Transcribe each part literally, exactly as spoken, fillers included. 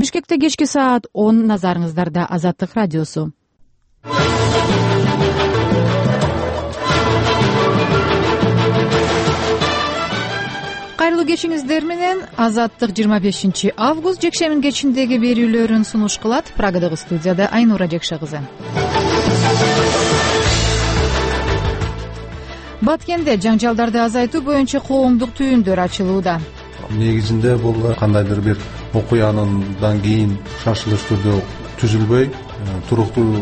Бишкекте кечки саат он, назарыңыздарда Азаттык радиосу. Кайрылуу кечиңиздер менен Азаттык жыйырма бешинчи август жекшембин кечиндеги берүүлөрүн сунуш кылат. Прагадагы студияда Айнура Жекше кызы. Баткенде жаңжалдарды азайтуу боюнча коомдук түйүндөр ачылууда. Негизинде бул кандайдыр бир окуяндан кийин шашылыш түрдө түзүлбөй, туруктуу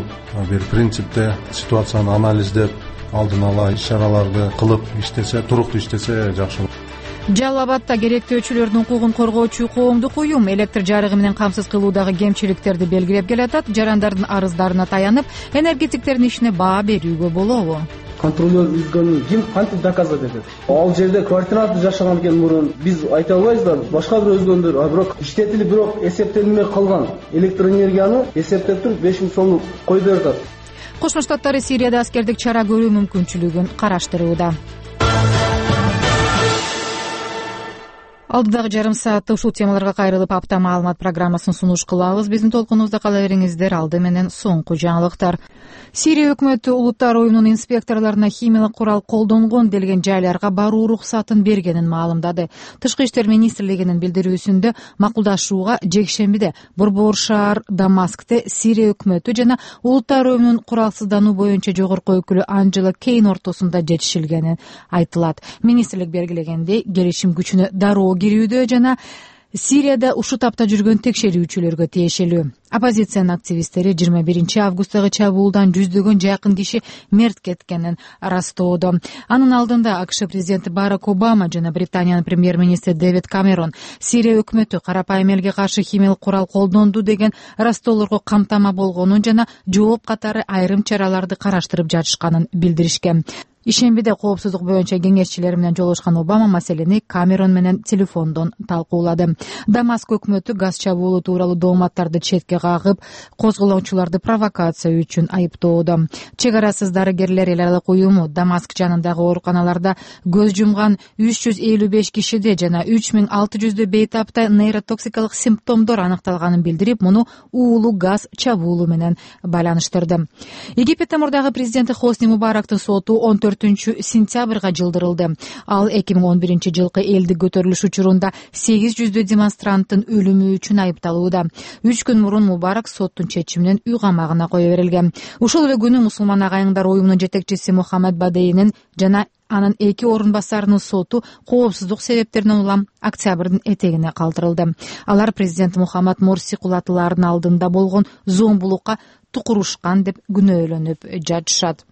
бир принципте ситуацияны анализдеп, алдын ала иш-чараларды кылып иштесе, туруктуу иштесе жакшы болот. Жалал Абадда керектөөчүлөрдүн укугун коргоочу коомдук уюм электр жарыгы менен камсыз кылуудагы кемчиликтерди белгилеп келатат. Жарандардын арыздарына таянып, энергетиктердин ишине баа берүүгө болобу? Контролер үзгөнүн ким кантип доказать этет? Ал жерде квартиранты жашаган экен мурун. Биз айта албайбыз да, башка бир өзгөндөр, а бирок иштетилип, бирок эсептелмей калган электр энергияны эсептеп туруп беш миң сомду коюп берет. Кошмо Штаттары Сирияда аскердик чара көрүү мүмкүнчүлүгүн караштырууда. Алдыдагы жарым саатта ушул темаларга кайрылып апта маалымат программасын сунуш кылабыз. Биздин толкунубузда кала бериңиздер. Алды менен соңку жаңылыктар. Сирия өкмөтү улуттар уюмунун инспекторлоруна химиялык курал колдонгон делген жайларга баруу уруксатын бергенин маалымдады. Тышкы иштер министрлигинин билдирүүсүндө макулдашууга жекшембиде Борбор шаар Дамаскте Сирия өкмөтү жана улуттар уюмунун куралсыздануу боюнча жогорку өкүлү Анджела Кейн ортосунда жетишилгени айтылат. Министрлик белгилегендей, келишим күчүнө дароо кирүүдө жана Сирияда ушул тапта жүргөн текшерүүчүлөргө тиешелүү. Оппозициянын активисттери жыйырма биринчи августтагы чабуулдан жүздөгөн жакын киши мерт кеткенин ырастоодо. Анын алдында АКШ президенти Барак Обама жана Британиянын премьер-министри Дэвид Камерон Сирия өкмөтү карапайым элге каршы химиялык курал колдонду деген ырастоолорго камтама болгонун жана жооп катары айрым чараларды караштырып жатышканын билдиришкен. Ишембиде коопсуздук боюнча кеңешчилери менен жолугушкан Обама маселени Камерон менен телефондон талкуулады. Дамаск өкмөтү газ чабуулу тууралуу дооматтарды четке кагып, козголоочуларды провокация үчүн айыптоодо. Чек арасыз дарыгерлер эл аралык уюму Дамаск жанындагы ооруканаларда көз жумган үч жүз элүү беш кишиде жана үч миң алты жүздө бейтапта нейротоксикалык симптомдор аныкталганын билдирип, муну уулуу газ чабуулу менен байланыштырды. Египеттин мурдагы президенти Хосни Мубарактын соту он төртүнчү сентябрга жылдырылды. Ал эки миң он биринчи жылкы элдик көтөрүлүш учурунда сегиз жүздөй демонстранттын өлүмү үчүн айыпталууда. Үч күн мурун Мубарак соттун чечиминен үй камагына кое берилген. Ушул эле күнү мусулман агайыңдар уюмунун жетекчиси Мухаммед Бадейинин жана анын эки орун басарынын соту коопсуздук себептеринен улам октябрдын этегине калтырылды. Алар президент Мухаммад Морси кулатыларынын алдында болгон зомбулукка тукурушкан деп күнөөлөнүп жатышат.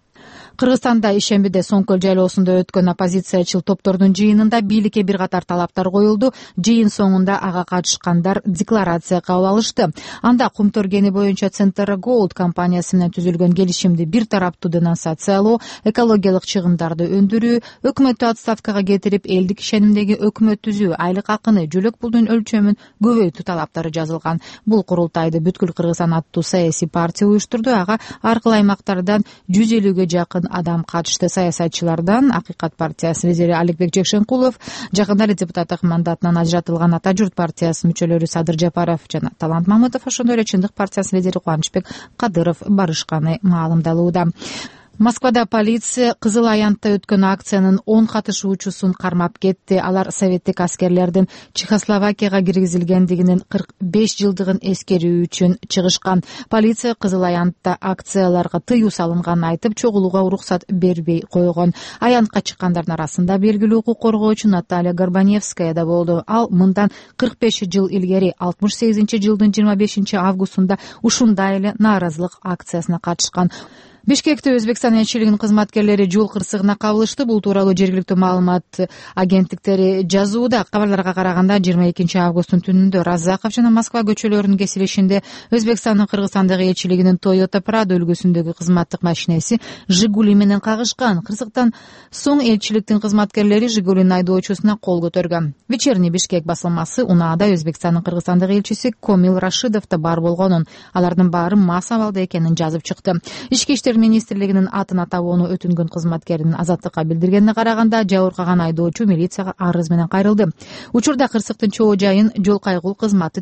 Кыргызстанда ишембиде Соңкөл жайлоосунда өткөн оппозициячыл топтордун жыйынында бийликке бир катар талаптар коюлду. Жыйын соңунда ага катышкандар декларация кабыл алышты. Анда Кумтөргени боюнча Центр Голд компаниясы менен түзүлгөн келишимди бир тараптуу денонсациялоо, экологиялык чыгымдарды өндүрүү, өкмөттү отставкага кетирип, элдик ишенимдеги өкмөт түзүү, айлык акыны, жөлөк пулдун өлчөмүн көбөйтүү талаптары жазылган. Бул курултайды Бүткүл Кыргызстан аттуу саясий партия уюштурду. Ага ар кыл аймактардан жүз элүүгө жакын адам катышты. Саясатчылардан Акыйкат партиясынын лидери Аликбек Жекшенкулов, жакында эле депутаттык мандатынан ажыратылган Ата журт партиясынын мүчөлөрү Садыр Жапаров жана Талант Мамытов, ошондой эле Чындык партиясынын лидери Кубанычбек Кадыров барышканы маалымдалууда. Москвада полиция Кызыл Аянтта өткөн акциянын он катышуучусун кармап кетти. Алар советтик аскерлердин Чехословакияга киргизилгендигинин кырк беш жылдыгын эскерүү үчүн чыгышкан. Полиция Кызыл Аянтта акцияларга тыюу салынганын айтып, чогулууга уруксат бербей койгон. Аянтка чыккандардын арасында белгилүү укук коргоочу Наталья Горбаневская да болду. Ал мындан кырк беш жыл илгери алтымыш сегизинчи жылдын жыйырма бешинчи августунда ушундай эле нааразылык акциясына катышкан. Бишкекте Өзбекстан элчилигинин кызматкерлери жол кырсыгына кабылышты. Бул тууралуу жергиликтүү маалымат агенттиктери жазууда. Кабарларга караганда жыйырма экинчи августтун түнүндө Разаков жана Москва көчөлөрүнүн кесилишинде Өзбекстандын Кыргызстандагы элчилигинин Toyota Prado үлгүсүндөгү кызматтык машинеси Жигули менен кагышкан. Кырсыктан соң элчиликтин кызматкерлери Жигулинин айдоочусуна кол көтөргөн. Вечерний Бишкек басылмасы унаада Өзбекстандын Кыргызстандагы элчиси Комил Рашидов да бар болгонун, алардын баары мас абалда экенин жазып чыкты. Ички иштер министрлигинин атын атабоону өтүнгөн кызматкердин Азаттыкка билдиргенине караганда, жабыркаган айдоочу милицияга арыз менен кайрылды. Учурда кырсыктын чоо жайын жол кайгул кызматы